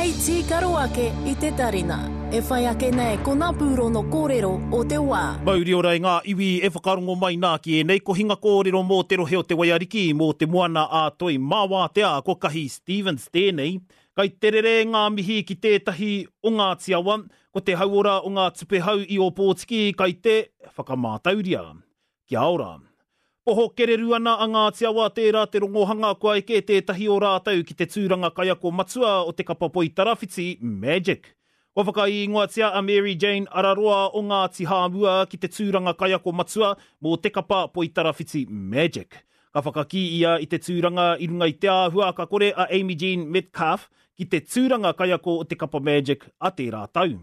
Hei tīkaro ake i te tarina. E whai ake nei ko ngā pūrono kōrero o te wā. Mauri ora e ngā iwi e whakarongo mai nā ki ēnei kohinga kōrero mō te rohe o Te Waiariki, mō te Moana ā Toi mā Wātea, ko Kahi Stevens tēnei. Kai te rere ngā mihi ki tētahi o Ngāti Awa, ko te hauora o ngā tupehau i Ōpōtiki kai te whakamātauria. Kia ora. Poho kereru ana a Ngāti Awa tērā te rongohanga kua eke tētahi o rātou ki te tūranga kaiako matua o te kapa poitarawhiti, Magic. Kua whakaīngoatia a Mary Jane Araroa o Ngāti Hāmua ki te tūranga kaiako matua mō te kapa poitarawhiti Magic. Ka whakakī ia i te tūranga i runga i te āhua ka kore a Amy Jean Metcalfe ki te tūranga kaiako o te kapa Magic a tērā tau.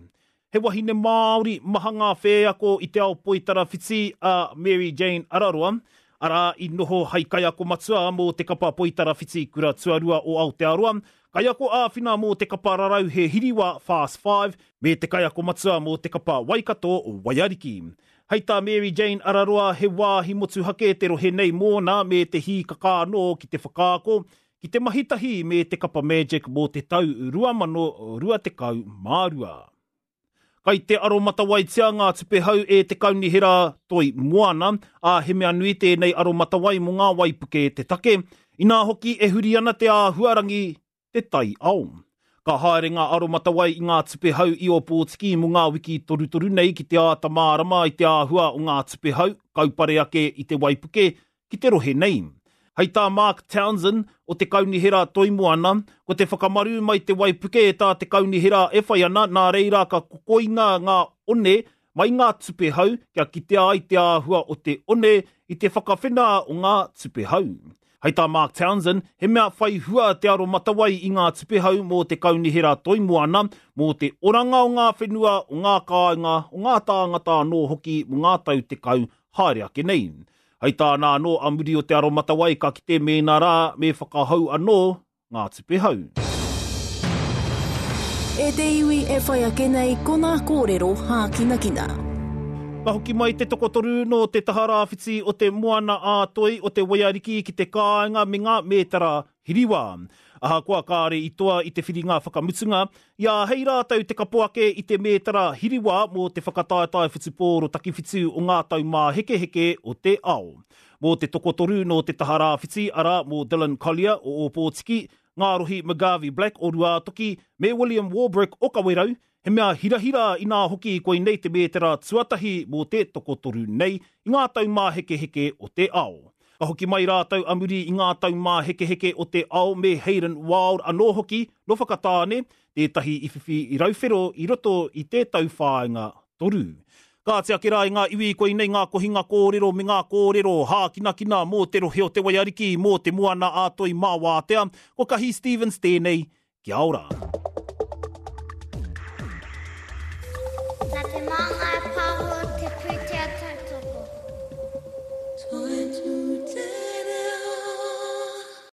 He wahine Māori maha ngā whēako i te ao poitarawhiti a Mary Jane Araroa, arā, i noho hai kaiako matua mō te kapa poitarawhiti kura tuarua o Aotearoa, kaiako āwhina mō te kapa rarauhe hiriwa Fast Five, me te kaiako matua mō te kapa Waikato Waiariki. Hei tā Mary Jane Araroa he wāhi motuhake te rohe nei mōna me te hīkaka anō ki te whakaako, ki te mahi tahi me te kapa Magic mō te tau 2022. Kai te aromatawaitia ngā tupehau e te Kaunihera Toi Moana, ā, he mea nui tēnei aromatawai mō ngā waipuke te take, inā hoki e huri ana te āhuarangi, te taiao. Ka haere ngā aromatawai i ngā tupehau i Ōpōtiki mō ngā wiki torutoru nei ki te āta mārama i te āhua o ngā tupehau, kaupare ake i te waipuke, ki te rohe nei. Hei tā Mark Townsend o te Kaunihera Toi Moana, ko te whakamaru mai te waipuke e tā te kaunihera e whai ana, nā reira ka kokoina ngā one mai ngā tupehau kia kitea ai te āhua o te one i te whakawhena o ngā tupehau. Hei tā Mark Townsend, he mea whai hua te aromatawai i ngā tupehau mō te Kaunihera Toi Moana, mō te oranga o ngā whenua, o ngā kāinga, o ngā tāngata anō hoki mō ngā tau 10 haere ake nei. Hei tāna anō, a muri o te aromatawai ka kite mēnā rā me whakahou anō ngā tupehau. E te iwi e whai ake nei ko nā kōrero hākinakina. Ka hoki mai te tokotoru nō te taha rāwhiti o te Moana ā-Toi o te Waiariki ki te kāinga me ngā mētara hiriwā. Ahakoa kāore i toa i te whiringa whakamutunga, i āhei rātou te kapo ake i te mētara hiriwā mō te whakataetae whutupōro takiwhitu o ngā taumāhekeheke o te ao. Mō te tokotoru nō te taha rāwhiti, arā, mō Dylan Collier o Ōpōtiki, Ngārohi McGarvey-Black o Ruātoki, me William Warbrick o Kawerau, He mea hirahira inā hoki koinei te mētera tuatahi mō te tokotoru nei i ngā taumāhekeheke o te ao. Ka hoki mai rātou a muri i ngā taumāhekeheke o te ao me Hayden Wilde anō hoki nō Whakatāne, tētahi i whiwhi rauwhero i roto i te tauwhāinga toru. Kāti ake rā i ngā iwi koinei ngā kohinga kōrero me ngā kōrero hākinakina mō te rohe o Te Waiariki, mō Te Moana-a-Toi mā Wātea, ko Kahi Stevens tēnei, Kia ora.